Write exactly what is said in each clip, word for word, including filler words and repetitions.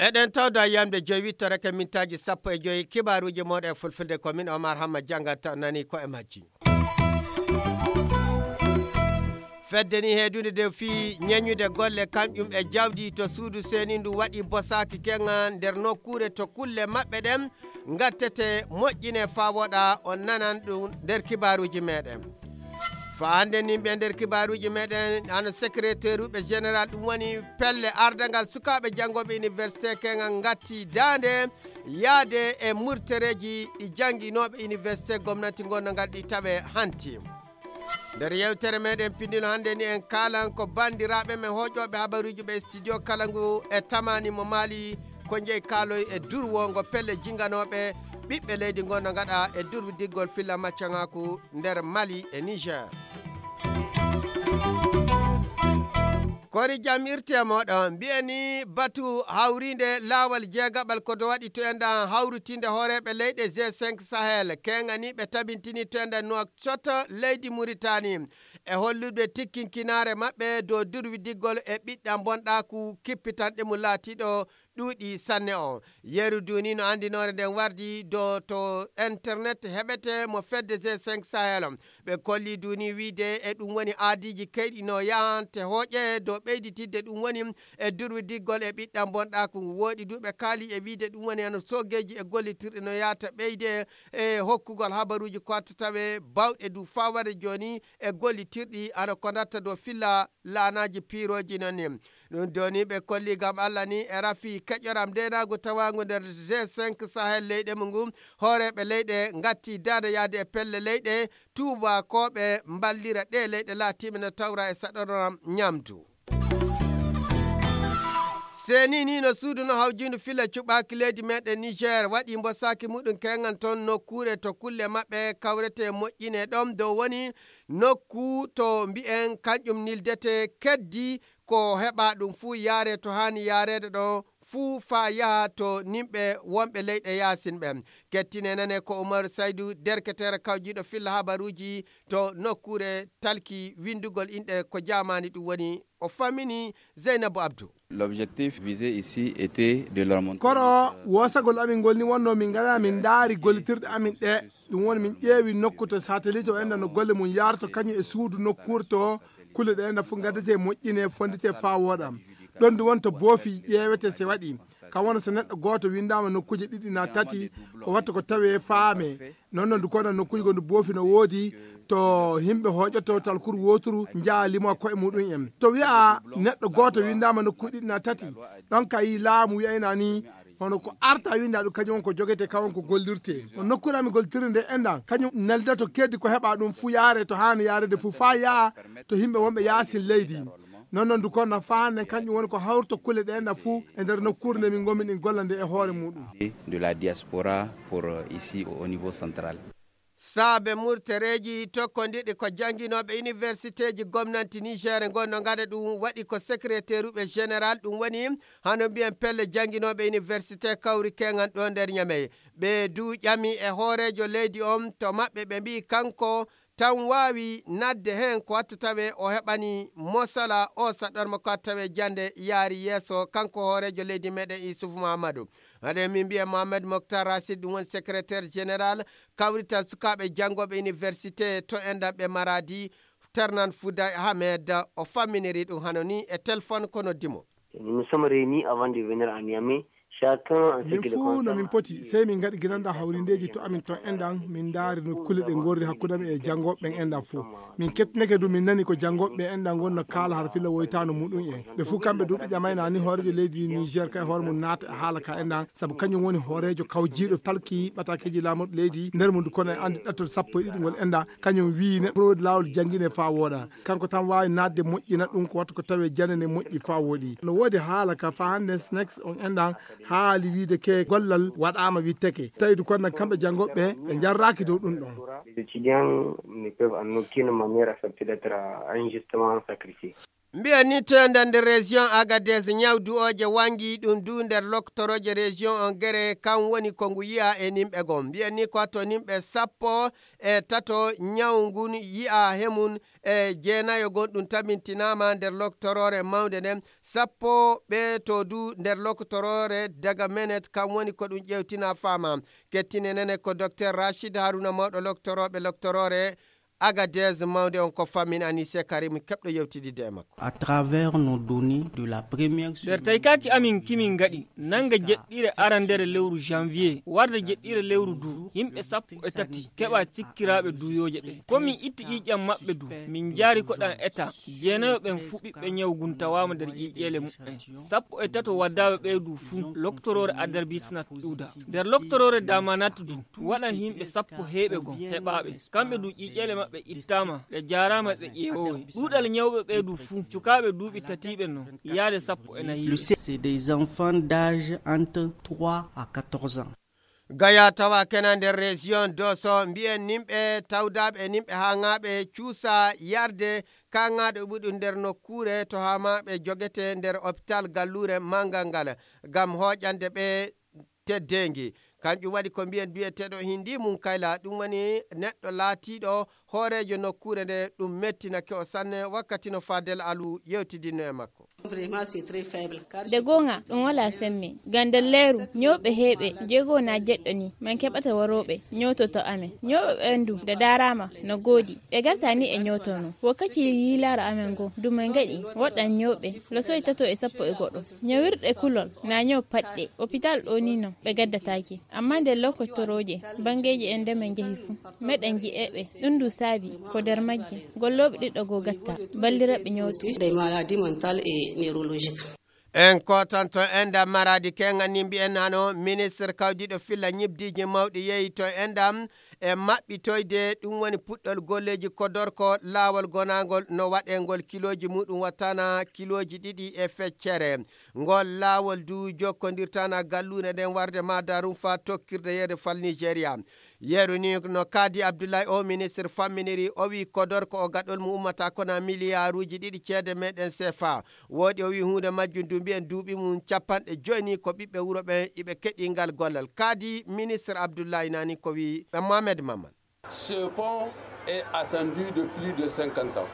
Eɗen tawda yamde joyi wittoreke mintaaji sappo e joyi, kibaaruuji mooɗon e fulfulde, ko min Omar Hamma janngata, nani ko e majji. Fedde ni heedunde de fii ñeñude golle kañƴum e jawdi to suudu seeni ndu waɗi bosaaki keŋa nder nokkuure to kulle maɓɓe ɗen ngattete moƴƴine faa woɗa, on nanan ɗum nder kibaaruuji meɗen. Faa hannde ni ɓe nder kibaaruuji meɗen, hano secrétaire ɓe général, ɗum woni pelle ardangal sukaaɓe janngooɓe université keŋa ngatti daande yaade e murtereeji ɗi jannginooɓe université gomnati ngonno ngal ɗi tawe hanti. Nder yewtere meɗen pindino hannde ni en kaalan ko banndiraaɓe men hooƴooɓe habaruuji ɓe studio kala ngu e tamani mo maali ko jeyi kaaloy e durwongo pelle jinganooɓe ɓiɓɓe leydi ngonno ngaɗa e durwudiggol filla maccaŋaaku nder Mali e Niger. Kori jam irti e moɗon. Mbi'e ni batu hawrinde laawal jeegaɓal ko to waɗi to enɗan hawritinde hooreeɓe leyɗe G cinq Sahel. Keŋaniiɓe tabintini to enɗan Nouakchott leydi Muritani. E hollude tikkinkinaare maɓɓe dow durwidiggol e ɓiɗɗan bonɗaaku kippitanɗe mum laatiiɗo ɗuuɗi sanne o. Yeru duuni no anndinoore nden wardi do to internet heɓete mo fedde G cinq Sahel. Ɓe kolli duuni wiide e ɗum woni aadiiji keyɗi no yahante hooƴe dow ɓeyditidde ɗum woni e durwidiggol e ɓiɗɗan bonɗaaku ngu. Wooɗi du ɓe kaali e wiide ɗum woni hano soogeeji e gollitirɗe no yahata ɓeyde e hokkugol habaruuji ko watta tawe bawɗe du fawade jooni e gollitirɗi hano ko ndatta dow filla laanaaji piirooji non ni. Ɗum doni ɓe kolli gam Allah ni e rafi keƴoram ndenaagu tawaangu nder G cinq Sahel leyɗe mu ngu. Hooreeɓe leyɗe ngatti daande yaade e pelle leyɗe tuubakooɓe mballira ɗe leyɗe laatiiɓe no tawra e saɗoram ñamdu. Seni ni no suudu no hawjindu fila cuɓaaki leydi meɗen Niger waɗi mbosaaki muɗum keŋan ton nokkuure to kulle maɓɓe kawrete moƴƴine ɗon dow woni nokku to mbi'en kanƴum nildete keddi ko heɓa ɗum fuu yaare to haani yaareede ɗon fuu faa yaha to nimɓe wonɓe leyɗe yaasin ɓen. Kettine nane ko Umaru Saydu, derketeere kawjiiɗo filla habaruuji to nokkuure talki winndugol inɗe ko jaamaani ɗum woni o fammini Zeynabu Abdu. L'objectif visé ici était de leur montrer koro woosagol amin ngol ni wonno min ngara min ndaari gollitirɗe amin ɗe. Ɗum woni min ƴeewi nokku to satellite o enɗan no golle mum yaarto kañum e suudu nokkuure to kulle ɗe enɗan fof ngaddete moƴƴine fondite faa wooɗa. Ɗon du won to boofi ƴeewete se waɗi kam wona so neɗɗo gooto winndaama nokkuuje ɗiɗi na tati ko watta ko tawee faame. Non non du kono nokkuuje gonɗo boofi no woodi to yimɓe hooƴoto talkuru wooturu njaha limo koye muɗum en to wiya neɗɗo gooto winndaama nokkuuje ɗiɗi na tati. Ɗon kay laamu wiyayna ni hono ko arta winnda ɗum kañum on ko jogete kam on ko gollirte no nokkuure amin gollitiri nde enɗan kañum nelda to keddi ko heɓa ɗum fuu yaare to haani yaarede fuu faa yaha to yimɓe wonɓe yaasin leydi. Non non du kono faa hannde kañum woni ko hawrto kulle ɗe enɗan fuu e nder nokkuure nde min ngonmi ɗin golla nde e hoore muɗum. De la diaspora pour euh, ici au niveau central. Saabe murtereeji tokkondirɗi ko jannginooɓe iniwersiteeji gomnanti Niger ngon no ngaɗa ɗum waɗi ko secrétaire ɓe général ɗum woni hano mbiyen pelle jannginooɓe iniwersite kawri keŋan ɗo nder Ñamey. Ɓe du ƴami e hooreejo leydi on to maɓɓe ɓe mbi'i kanko tan waawi naatde heen ko watta tawe o heɓani mosala o saɗorma ko watta tawe jannde yaari yeeso kanko hooreejo leydi meɗen Isufu Muhammadu. Haɗe min mbiya Mohamed Moktar Racid ɗum woni secrétaire général kawrital sukaaɓe janngooɓe université to enɗan ɓe Maradi, Ternan Fouda Ahmed o famminiri ɗum hano ni e téléphone ko noddi mo. Nous sommes réunis avant de venir à Niamey. Chacun en ce min qui le fuu no min concerne poti sey min ngaɗi ginanɗa hawrindeeji to amin ton enɗan min ndaari no kulle ɗe ngorri hakkunde amin e janngooɓe ɓen enɗan fuu. Min kettinake du min nani ko janngooɓe ɓe enɗan ngonno kaala har filla woytaano muɗum en. Ɓe fuu kamɓe du ɓe ƴamayna ni hooreejo leydi Niger kay hoore mum naata e haala ka enɗan sabu kañum woni hooreejo kawjiiɗo talki ɓatakeeji laamorɗo leydi nder mum du kono e anndi ɗattol sappo e ɗiɗi ngol enɗan kañum wii neɗɗo foti laawol janngine faa wooɗa. Kanko tan waawi naatde moƴƴina ɗum ko watta ko tawee janane moƴƴi faa wooɗi. No woodi haala ka faa hannde snex on enɗan haali wiide ke gollal waɗaama witteke. Tawi du kono kamɓe janngooɓe ɓe njarraaki dow ɗum ɗon. Les étudiants ne peuvent en aucune manière accepter d'être injustement sacrifiés. Mbiyen ni to nder nder région Agadez, ñaw du'ooje wangi ɗum du nder loktorooje région on gere, kan woni ko ngu yi'a e nimɓe gon. Mbiyen ni ko to nimɓe sappo e tato ñaw ngun yi'a he mun, e jeenayo gon ɗum tabintinaama nder loktoroore mawnde nden, sappo ɓe to du nder loktoroore daga menet, kan woni ko ɗum ƴewtina faama. Kettine nene ko Docteur Rachid Haruna, mawɗo loktorooɓe loktoroore Agadez mawnde on, ko fammin Anise Karim keɓɗo yewtididde e makko. À travers nos données de la première nder semaine taykaaki amin kimin ngaɗi nanga jeɗɗire arandere lewru janvier warde jeɗɗire lewru du, yimɓe sappo e tati keɓa cikkiraaɓe duuyooje ɗe. Ko min itti ƴiiƴam maɓɓe du, min jaari koɗan eta. Jeenayo ɓen fuu ɓiɓɓe ñaw gun tawaama nder ƴiiƴeele muɓɓen. Sappo e tato waddaaɓe ɓee du fuu loktoroore adarbisnat ƴuuda. Nder loktoroore damanat du waɗan yimɓe sappo heeɓe gon heɓaaɓe. Kamɓe du ƴiiƴeele maɓɓe ittaama, ɓe jaaraama ɓe ƴeewoowe. Ɗuuɗal ñawɓe ɓee du fuu, cukaaɓe duuɓi tatiiɓe non, yaade sappo e nayi. Le sexe, c'est des enfants d'âge entre trois à quatorze ans. Gaya tawa kena nder région Dosso, mbiyen nimɓe tawdaaɓe e nimɓe haaŋaaɓe cuusa yarde kaaŋaaɗo ɓuɗu nder nokkuure to haamaaɓe jogete nder hôpital galluure manngal ngal ngam hooƴande ɓe teddeengi. Kanƴum waɗi ko mbiyen biyeteeɗo Hindi Munkayla, ɗum woni neɗɗo laatiiɗo hooreejo nokkuure nde, ɗum mettinake o sanne wakkati no Fadel Alu yewtidinno e makko. De goonga, ɗum walaa semme. Ngam nder leeru, ñooɓe heewɓe, jeego na jeɗɗo ni, min keɓata warooɓe, ñoototo amen. Ñooɓe ɓen du, de daaraama, no goodi. Ɓe garta ni e ñootono. Wakkati yiilaaro amen ngo, du min ngaɗi, woɗɗan ñooɓe, losoy tato e sappo e goɗɗo. Ñawirɗe kulol, na ñoo paɗɗe. Opital ɗo ni non, ɓe gaddataake. Amma nder lokotorooje, banngeeji en nde min njehi fuu, meɗen ji'eɓe. Ɗum du saabi, ko nder majje, gollooɓe ɗiɗo goo gatta, balliraɓe ñooto. Des maladies mentales et neurologiques. En kotanto enɗam Maradi, kengan ni mbiyen hano ministre kawdiɗo filla ñibdiji mawɗi yehi to enɗam e maɓɓitoyde, ɗum woni puɗɗol golleji kodorko laawol gonangol no waɗe ngol kilooji muɗum wattana kilooji ɗiɗi e feccere. Ngol laawol du jokkondirtana galluure nden warde Madarumfa tokkirde yeru fal Nigeria. Yeru ni no kaadi Abdullahi o ministre famminiri, o wi kodorko o gaɗol mu ummata kona miliyaaruji ɗiɗi ceede meɗen sefa. Woodi o wi huunde majjum du mbiyen duuɓi mum capanɗe joyi ni ko ɓiɓɓe wuro ɓen iɓe keɗi ngal gollal. Kaadi ministre Abdullahi nani ko wi Mohamed Maman. Ce pont est attendu de plus de cinquante ans.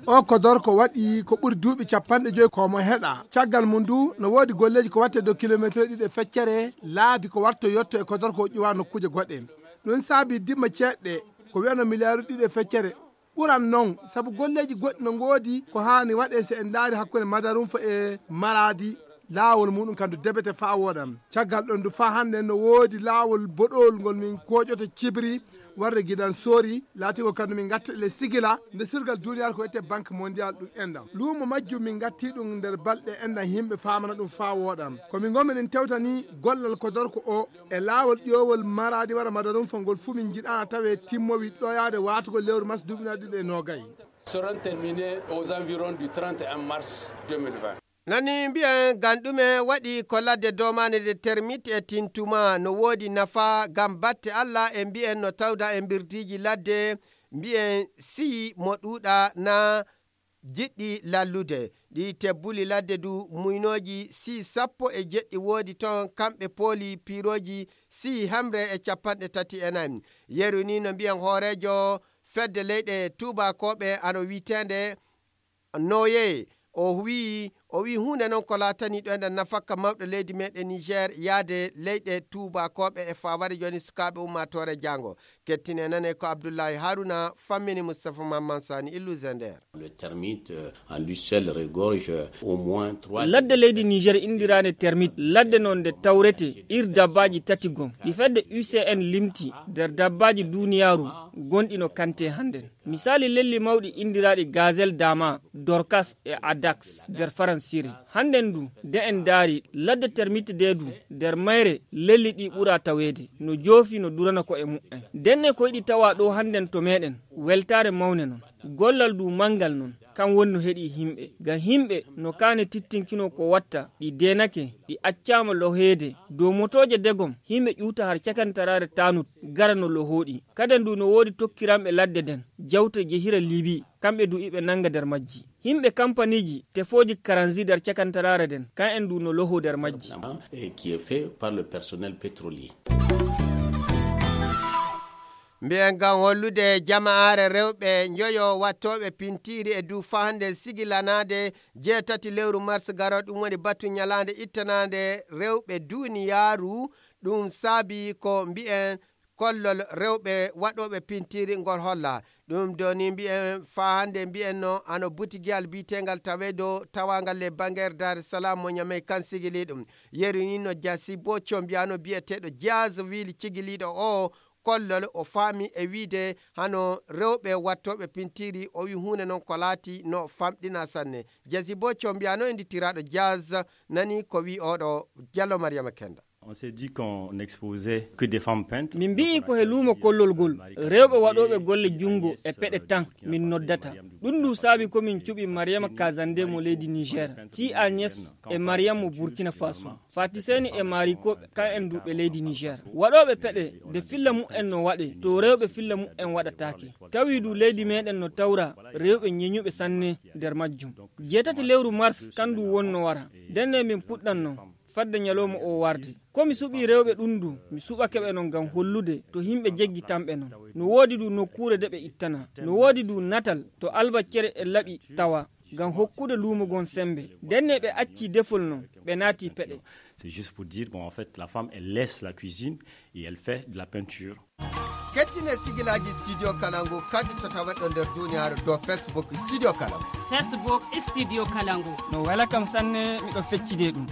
O kodorko waɗi ko ɓuri duuɓi capanɗe joyi ko mo heɗa. Caggal mum du no woodi golleji ko watte dow kilometre ɗiɗi e feccere laabi ko warto yotto e kodorko o ƴuwa nokkuje goɗɗe. Ɗum saabi dimma ceeɗɗe ko wiyano miliyaaru ɗiɗi e feccere. Ɓuran noon, sabu golleeji goɗɗi no ngoodi ko haani waɗee, so en ndaari hakkunde Madarumfa e Maraadi, laawol muuɗum kam du debete faa wooɗa. Caggal ɗoon du faa hannde no woodi laawol boɗowol ngol min kooƴoto Cibiri warde Gidan Soori, laatingol kam du min ngatta le Sigila, nde surgal duuniyaaru ko wiyetee Banque Mondiale ɗum enɗam. Luumo majjum min ngattii ɗum nder balɗe enɗam, yimɓe faamana ɗum faa wooɗa. Ko min ngonmi min tewtani gollal kodorko o, e laawol ƴoowol Maraadi wara Madarumfa ngol fuu min njiɗaana tawee timmowi ɗoyaade waatugol lewru mars duuɓi ujunere ɗiɗi e noogay. Seront terminés aux environs du trente et un mars deux mille vingt. Nani mbiyen ngam ɗume waɗi ko ladde domaande nde termite e tintuma no woodi nafa ngam batte Alla, e mbiyen no tawda e mbirdiiji ladde, mbiyen sii mo ɗuuɗa na jiɗɗi lallude. Ɗi tebbuli ladde du muynooji sii sappo e jeɗɗi woodi toon, kamɓe pooli piirooji sii hemre e capanɗe tati e nayi. Yeru ni no mbiyen hooreejo fedde leyɗe tuubakooɓe ano wiyeteende Noye, o wiyi, o wiyi huunde noon ko laatani ɗo enen nafakka mawɗo leydi meɗen Niger yaade leyɗe tuubakooɓe e faa wari jooni sukaaɓe ummaatoore jaango. Kettine nane ko Abdullahi Haruna fammini Mustapha Mamman Sani Illu Zender. Le termite, euh, en lui seul regorge, euh, au moins trois. Ladde leydi Niger indiraande termite, ladde noon nde tawrete ir dabbaaji tati gom. Ɗi fedde U C N limti nder dabbaaji duuniyaaru gonɗi no kante hannden. Misaali lelli mawɗi indiraaɗi Gazelle Dama, Dorcas e Adax nder Faransire. Hannden du, de en ndaari ladde termite de du, nder mayre lelli ɗi ɓura taweede, no joofi no durana ko e muɓɓen. Ndenne ko yiɗi tawa ɗo hannden to meɗen, weltaare mawne non. Gollal du manngal non, kan woni no heɗi himɓe. Ngam himɓe no kaane tittinkino ko watta, ɗi deenake, ɗi accaama loheede. Dow motooje degom, himɓe ƴuuta har cakantaraare tanut, gara no lohooɗi. Kaden du no woodi tokkiranɓe ladde nden, jawte jehira Libi, kamɓe du iɓe nannga nder majji. Himɓe kampaniiji tefooji karansi nder cakantaraare nden, kan en du no loho nder majji. Et qui est fait par le personnel pétrolier. Mbiyen ngam hollude jama'aare rewɓe njoyo wattooɓe pintiiri e du fahande sigilanaade jeetati lewru mars garo, ɗum woni batu ñalaande ittanaande rewɓe duuniyaaru. Ɗum saabi ko mbiyen kollol rewɓe waɗooɓe pintiiri ngol holla. Ɗum doni mbiyen fahande mbiyen no ano butigiyal biitengal tawedo tawangal le banger Dar es Salaam mo Ñamey kan sigili ɗum. Yeru ni no jasi bo combiyano biyeteɗo Jazz Wili cigiliɗo o kollol o faami e wiide hano rewɓe wattooɓe pintiiri, o wi huunde noon ko laati no famɗina sanne. Jasi bo combiyano e ndittiraɗo Jazz nani ko wi oɗo Jallo Mariama Kenda. On s'est dit qu'on n'exposait que des femmes peintres. Min mbi'i ko he luumo kollol ngol rewɓe waɗooɓe golle junngo e peɗe tan min noddata. Ɗum ndu saabi ko min cuɓi Mariama Kazande mo leydi Niger, ci Agnès e Mariam mo Burkina Faso, Fati Seni e Mariko, kan en duuɓe leydi Niger. Waɗooɓe peɗe nde filla mu'en no waɗe to rewɓe filla mu'en waɗataake. Tawi du leydi meɗen no tawra rewɓe ñeñuɓe sanne nder majjum. Jeetati lewru mars kan du wonno wara. Ndenne min puɗɗanno fadde ñalawma o warde. Ko mi suɓii rewɓe ɗum du, mi suɓake ɓe non ngam hollude to himɓe jeggitanɓe non. No woodi du nokkuure de ɓe ittana. No woodi du natal to albaccere e laɓi tawa ngam hokkude luumo gon sembe. Ndenne ɓe acci defol non, ɓe naati peɗe. C'est juste pour dire, bon, en fait, la femme, elle laisse la cuisine et elle fait de la peinture. Kettine sigilaaji Studio Kalangu kadi to taweɗo nder duniyaaru dow Facebook Studio Kalangu. Facebook Studio Kalangu. No wela kam sanne, miɗo feccide ɗum.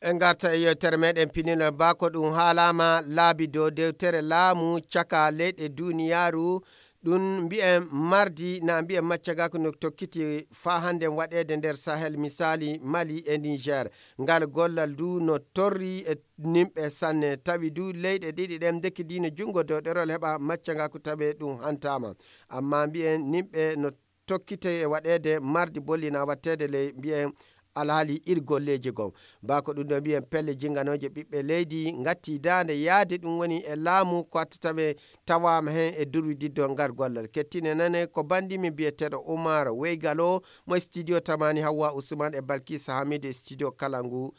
En garta e yewtere meɗen pinilal ba ko ɗum haalama laabi dow dewtere laamu caka leyɗe duniyaaru. Ɗum mbiyen mardi na mbiyen maccagaku no tokkiti faa hannde waɗeede nder Sahel, misaali Mali e Niger. Ngal gollal du no torri e nimɓe sanne, tawi du leyɗe ɗiɗi ɗen ndekkidino junngo dow ɗerol heɓa maccagaku tawe ɗum hantama. Amma mbiyen nimɓe no tokkite e waɗeede mardi bollina watteede ley mbiyen alhaali ir golleeji goo. Ba ko ɗum ɗo mbiyen pelle jinganooje ɓiɓɓe leydi ngatti daande yaade ɗum woni e laamu ko atta tawe tawaama heen e durwididdo ngal gollal. Kettine nane ko banndi min biyeteeɗo Umar Weygalo mo e studio Tamani Hawwa Usman e Balkisa Hamidu e studio kala ngu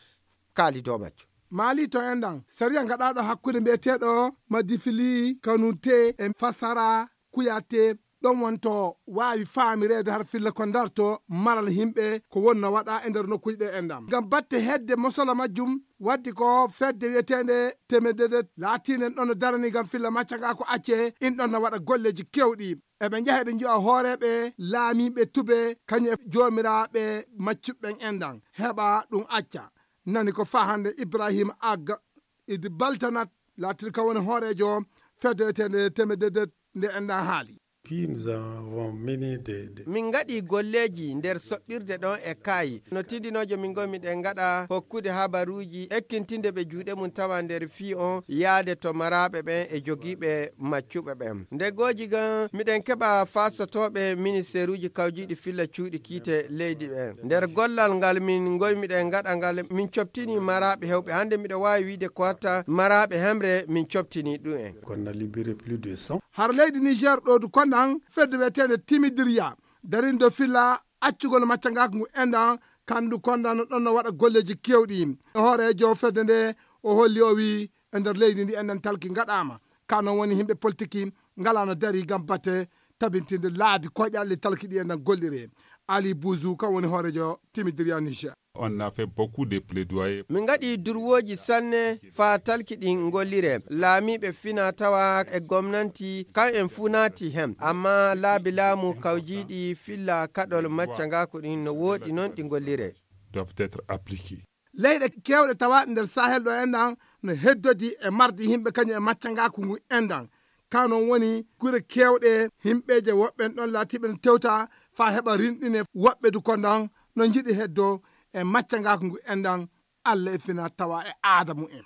kaali dow majjo. Maali to enɗan, sariya gaɗaaɗo hakkunde mbiyeteeɗo Madifili Kanute e Fasara Kuyate, ɗon wonto waawi faamireede har filla ko darto maral yimɓe ko wonno waɗa e nder nokkuuji ɗe enɗan. Ngam batte hedde mosolo majjum, waddi ko fedde wiyeteende Temedede laatiinde ɗon no darani ngam filla maccangaaku acce, in ɗon no waɗa golleeji keewɗi. Eɓe njaha eɓe nji'a hooreeɓe laamiiɓe tube, kañum e joomiraaɓe maccuɓe ɓen enɗan, heɓa ɗum acca. Nani ko faa hannde Ibrahima Agga Idi Baltanat laatirka woni hooreejo fedde wiyeteende Temedede nde enɗan haali. Puis nous avons mené des, des Min ngaɗi golleeji nder soɓɓirde ɗon e kaayi. No tindinoojo min ngoo miɗen ngaɗa hokkude habaruuji, ekkintinde ɓe juuɗe mum tawa nder fii on yaade to maraaɓe ɓen e jogiiɓe maccuɓe ɓen. Nde gooji gan miɗen keɓa faasotooɓe ministeeruuji kawjiiɗi filla cuuɗi kiite leydi ɓen. Nder gollal ngal min ngol miɗen ngaɗa ngal, min coɓtini maraaɓe hewɓe. Hannde miɗo waawi wiide ko watta maraaɓe hemre min coɓtini ɗum en. Qu'on a libéré plus de cent. Har leydi Niger ɗo du konɗan fedde wiyeteende Timidiriya darindo filla accugol maccangaaku ngu enɗan, kandu konɗan no ɗon no waɗa golleeji keewɗi. Hooreejo fedde nde o holli o wi e nder leydi ndi enɗan talki ngaɗaama. Ka non woni yimɓe politiki ngalaa no dari ngam batte tabintinde laabi koyɗe Allah talki ɗi enɗan golliree. Ali Bouzou kan woni hooreejo Timidiriya Niger. On a fait beaucoup de plaidoyer. Min ngaɗi durwooji sanne faa talki ɗin ngolliree. Laamiiɓe fina tawa e gomnanti kan en fuu naati hen. Amma laabi laamu kawjiiɗi filla kaɗol maccangaaku ɗin no wooɗi non ɗi ngolliree. Doivent être appliqués. Leyɗe keewɗe tawaaɗe nder Sahel ɗo enɗan no heddodi e mardi yimɓe kañum e maccangaaku ngu enɗan. Ka non woni gure keewɗe yimɓeeje woɓɓe en ɗon laatiiɓe no tewta faa heɓa rinɗine woɓɓe du konɗan no njiɗi heddo e maccangaaku ngu enɗan Allah e fina tawa e aada mumen.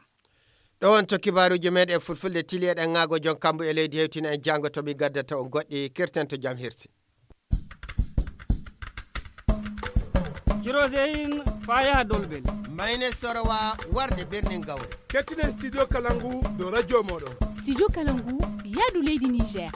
Ɗo wonto kibaaruuji meɗen fulfulde tili eɗen ŋaago jon kambu e leydi hewtina en jaango to mi gaddata on goɗɗi kirten to jam hirsi. Kiroseyin faa yaha Dolbel. Mayne Sorowa warde birnin Gawre. Kettinen Studio Kalangu dow radio mooɗon. Studio Kalangu yaadu leydi Niger.